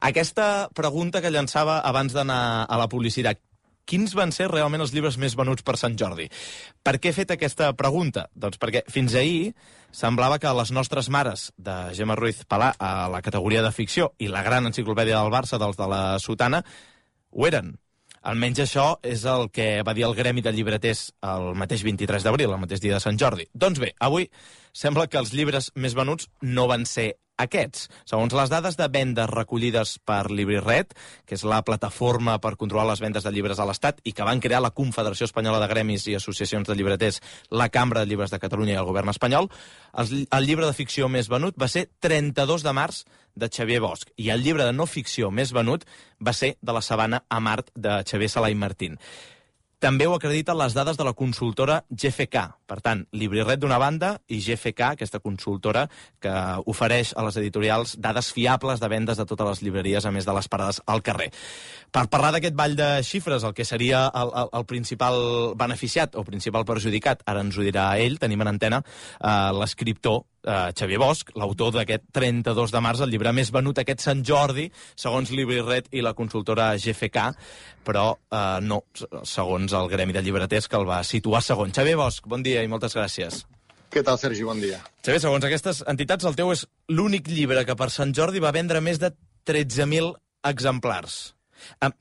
Aquesta pregunta que llançava abans d'anar a la publicitat, quins van ser realment els llibres més venuts per Sant Jordi? Per què he fet aquesta pregunta? Doncs perquè fins ahir semblava que les nostres mares de Gemma Ruiz Palà a la categoria de ficció i la gran enciclopèdia del Barça, dels de la Sotana, ho eren. Almenys això és el que va dir el Gremi de Llibreters el mateix 23 d'abril, el mateix dia de Sant Jordi. Doncs bé, avui sembla que els llibres més venuts no van ser aquests. Segons les dades de vendes recollides per LibriRed, que és la plataforma per controlar les vendes de llibres a l'Estat i que van crear la Confederació Espanyola de Gremis i Associacions de Llibreters, la Cambra de Llibres de Catalunya i el govern espanyol, el llibre de ficció més venut va ser 32 de març de Xavier Bosch i el llibre de no ficció més venut va ser de la sabana a Mart de Xavier Sala i Martín. També ho acrediten les dades de la consultora GFK. Per tant, LibriRed d'una banda i GFK, aquesta consultora que ofereix a les editorials dades fiables de vendes de totes les llibreries, a més de les parades al carrer. Per parlar d'aquest ball de xifres, el que seria el principal beneficiat o principal perjudicat, ara ens ho dirà ell, tenim en antena l'escriptor Xavier Bosch, l'autor d'aquest 32 de març, el llibre més venut aquest Sant Jordi, segons LibriRed i la consultora GFK, però no, segons el Gremi de Llibreters, que el va situar segon. Xavier Bosch, bon dia i moltes gràcies. Què tal, Sergi? Bon dia. Xavier, segons aquestes entitats, el teu és l'únic llibre que per Sant Jordi va vendre més de 13.000 exemplars. La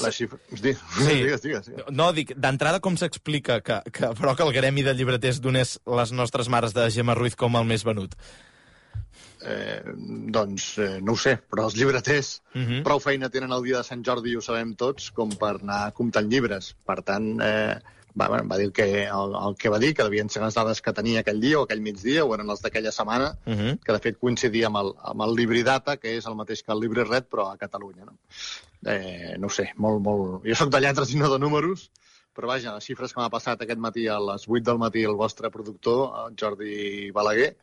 xifra... Digues. No, dic, d'entrada com s'explica que el Gremi de Llibreters donés les nostres mares de Gemma Ruiz com el més venut? No ho sé, però els llibreters prou feina tenen el dia de Sant Jordi, ho sabem tots, com per anar comptant llibres. Per tant, va dir el que va dir, que devien ser les dades que tenia aquell dia o aquell migdia, o eren les d'aquella setmana, que de fet coincidia amb el LibriData, que és el mateix que el LibriRed, però a Catalunya. No ho sé, molt... Jo soc de lletres i no de números, però vaja, les xifres que m'ha passat aquest matí a les 8 del matí el vostre productor, el Jordi Balaguer,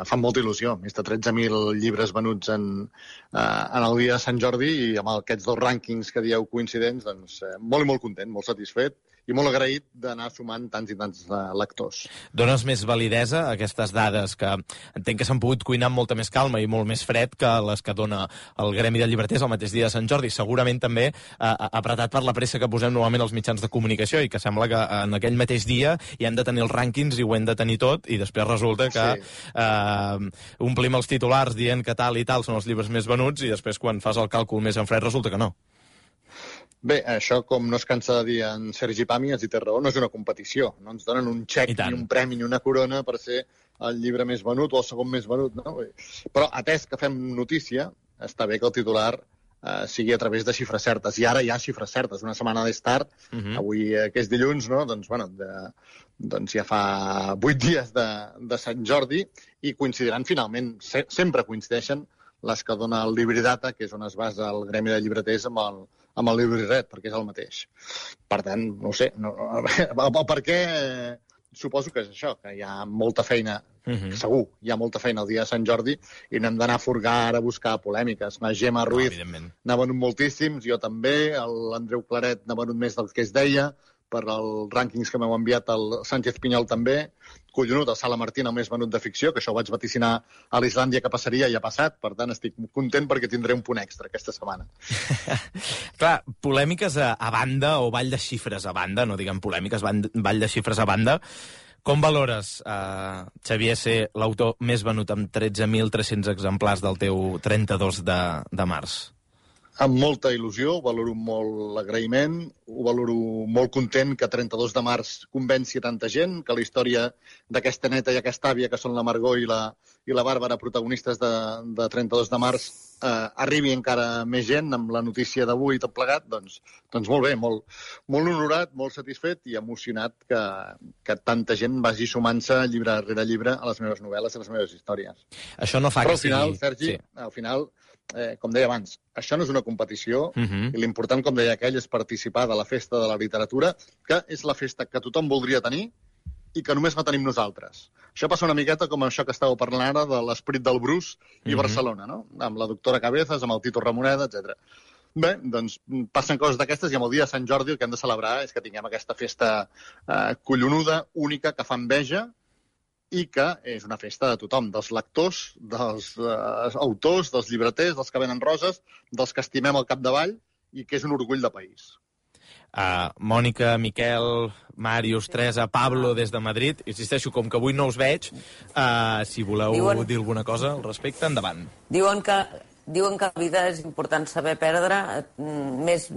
fan molta il·lusió. Més de 13.000 llibres venuts en el dia de Sant Jordi i amb aquests dos rànquings que dieu coincidents, doncs molt i molt content, molt satisfet i molt agraït d'anar sumant tants i tants lectors. Dones més validesa a aquestes dades que entenc que s'han pogut cuinar amb molta més calma i molt més fred que les que dona el Gremi de Llibreters el mateix dia de Sant Jordi. Segurament també apretat per la pressa que posem normalment als mitjans de comunicació i que sembla que en aquell mateix dia hi hem de tenir els rànquings i ho hem de tenir tot i després resulta que omplim els titulars dient que tal i tal són els llibres més venuts i després quan fas el càlcul més en fred resulta que no. Bé, això, com no es cansa de dir en Sergi Pàmies, i té raó, no és una competició. No ens donen un xec ni un premi ni una corona per ser el llibre més venut o el segon més venut, no? Però, atès que fem notícia, està bé que el titular sigui a través de xifres certes. I ara hi ha xifres certes. Una setmana més tard, avui que és dilluns, no? Doncs ja fa 8 dies de Sant Jordi i coincidiran finalment, sempre coincideixen les que dona el LibriData, que és on es basa el Gremi de Llibreters amb el LibriRed, perquè és el mateix. Per tant, no ho sé, el per què suposo que és això, que hi ha molta feina, segur, hi ha molta feina el dia de Sant Jordi i no hem d'anar a furgar ara a buscar polèmiques. La Gemma Ruiz n'ha venut moltíssims, jo també, l'Andreu Claret n'ha venut més del que es deia, per als rànquings que m'heu enviat el Sánchez Pinyol també, collonut, el Sala Martín el més venut de ficció, que això ho vaig vaticinar a l'Islàndia que passaria i ha passat, per tant estic content perquè tindré un punt extra aquesta setmana. Clar, polèmiques a banda o ball de xifres a banda, no diguem polèmiques, ball de xifres a banda, com valores, Xavier, ser l'autor més venut amb 13.300 exemplars del teu 32 de març? Amb molta il·lusió, valoro molt l'agraïment, ho valoro molt content que 32 de març convenci tanta gent, que la història d'aquesta neta i aquesta àvia, que són la Margó i la Bàrbara, protagonistes de 32 de març, arribi encara més gent amb la notícia d'avui i tot plegat, doncs molt bé, molt honorat, molt satisfet i emocionat que tanta gent vagi sumant-se llibre rere llibre a les meves novel·les i a les meves històries. Això no fa Però al final, Sergi, al final, com deia abans, això no és una competició i l'important, com deia aquell, és participar de la festa de la literatura, que és la festa que tothom voldria tenir i que només la tenim nosaltres. Això passa una miqueta com això que estàveu parlant ara de l'Esperit del Bruce i Barcelona, no? Amb la doctora Cabezas, amb el Tito Ramoneda, etc. Bé, doncs passen coses d'aquestes i amb el dia de Sant Jordi el que hem de celebrar és que tinguem aquesta festa collonuda, única, que fa enveja i que és una festa de tothom, dels lectors, dels autors, dels llibreters, dels que venen roses, dels que estimem al capdavall i que és un orgull de país. Mònica, Miquel, Màrius, Teresa, Pablo des de Madrid. Insisteixo, com que avui no us veig, si voleu dir alguna cosa al respecte, endavant. Diuen que la vida és important saber perdre, més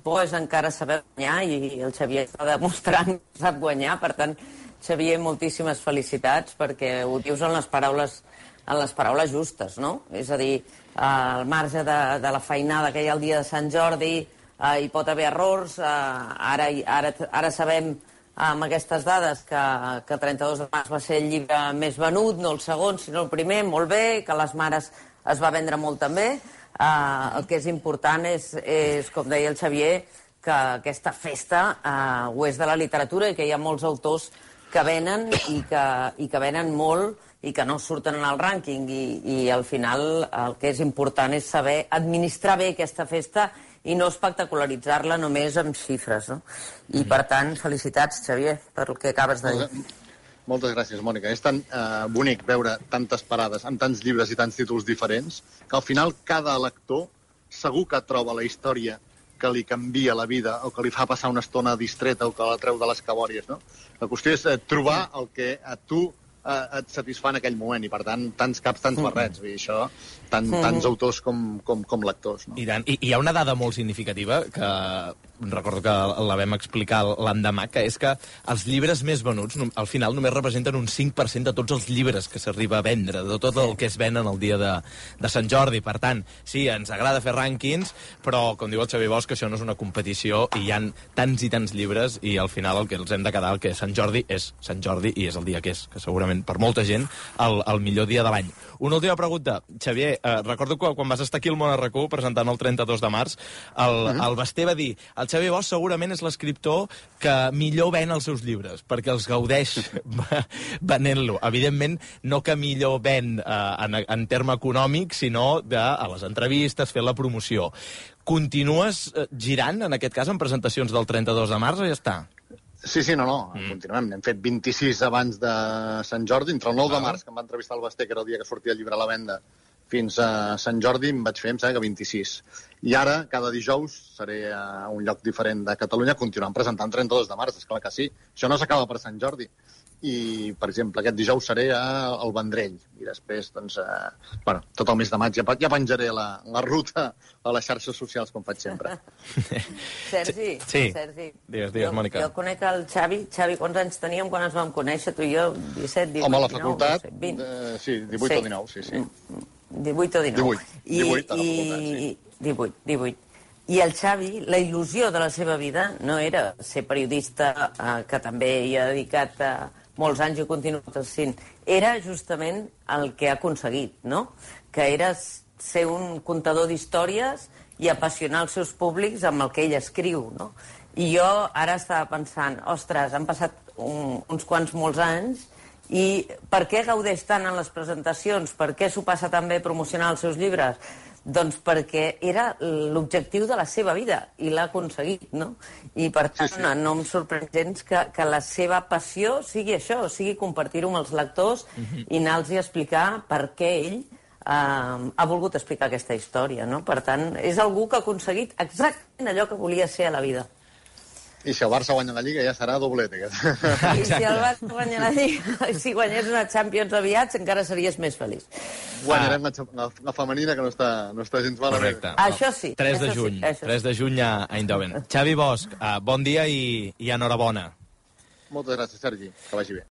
bo és encara saber guanyar, i el Xavier està demostrant que sap guanyar. Per tant, Xavier, moltíssimes felicitats, perquè ho dius en les paraules justes, no? És a dir, al marge de la feinada que hi ha el dia de Sant Jordi, hi pot haver errors. Ara sabem amb aquestes dades que 32 de març va ser el llibre més venut, no el segon, sinó el primer, molt bé, que les mares es va vendre molt també. El que és important és, com deia el Xavier, que aquesta festa ho és de la literatura i que hi ha molts autors que venen i que venen molt i que no surten en el rànquing. I al final el que és important és saber administrar bé aquesta festa i no espectacularitzar-la només amb xifres, no? I, per tant, felicitats, Xavier, per el que acabes de dir. Moltes gràcies, Mònica. És tan bonic veure tantes parades amb tants llibres i tants títols diferents que al final cada lector segur que troba la història que li canvia la vida o que li fa passar una estona distreta o que la treu de les cabòries, no? La qüestió és trobar el que a tu et satisfà en aquell moment i, per tant, tants caps, tants barrets. I això, tants autors com lectors. No? I tant. I hi ha una dada molt significativa que recordo que la vam explicar l'endemà, que és que els llibres més venuts al final només representen un 5% de tots els llibres que s'arriba a vendre, de tot el que es ven el dia de Sant Jordi. Per tant, sí, ens agrada fer rànquings, però, com diu el Xavier Bosch, això no és una competició i hi ha tants i tants llibres i al final el que els hem de quedar, el que Sant Jordi és Sant Jordi i és el dia que és, que segurament per molta gent el millor dia de l'any. Una última pregunta. Xavier, recordo que quan vas estar aquí al Món RQ presentant el 32 de març, el Basté va dir: el Xavier Bosch segurament és l'escriptor que millor ven els seus llibres, perquè els gaudeix venent-lo. Evidentment, no que millor ven en terme econòmic, sinó a les entrevistes, fer la promoció. Continues girant, en aquest cas, en presentacions del 32 de març o ja està? Sí, no, continuem. N'hem fet 26 abans de Sant Jordi, entre el 9 de març, que em va entrevistar el Basté, que era el dia que sortia el llibre a la venda, fins a Sant Jordi em vaig fer, em sembla que 26. I ara, cada dijous, seré a un lloc diferent de Catalunya, continuant presentant 32 de març, esclar que sí. Això no s'acaba per Sant Jordi. I, per exemple, aquest dijous seré al Vendrell. I després, doncs, tot el mes de maig ja penjaré la ruta a les xarxes socials, com faig sempre. Sergi, sí. Sergi. Digues, Mònica. Jo conec el Xavi. Xavi, quants anys teníem quan ens vam conèixer, tu i jo? 17, 18, Home, a la facultat, 19, 20. Sí, 18 o 19, sí. 18 o 19. 18 a la facultat, sí. 18. I el Xavi, la il·lusió de la seva vida no era ser periodista, que també hi ha dedicat molts anys i continua sent. Era justament el que ha aconseguit, no? Que era ser un contador d'històries i apassionar els seus públics amb el que ell escriu, no? I jo ara estava pensant, ostres, han passat uns quants molts anys i per què gaudeix tant en les presentacions? Per què s'ho passa tan bé promocionar els seus llibres? Doncs perquè era l'objectiu de la seva vida i l'ha aconseguit, no? I per tant no em sorprèn gens que la seva passió sigui això, sigui compartir-ho amb els lectors i anar-los a explicar per què ell ha volgut explicar aquesta història, no? Per tant, és algú que ha aconseguit exactament allò que volia ser a la vida. I si el Barça guanya la Lliga ja serà doblet. I si el Barça guanya la Lliga, si guanyés una Champions aviat, encara series més feliç. Guanyarem la femenina, que no està gens malament. Correcte. Això sí. 3 de juny. 3 de juny a Eindhoven. Xavi Bosch, bon dia i enhorabona. Moltes gràcies, Sergi. Que vagi bé.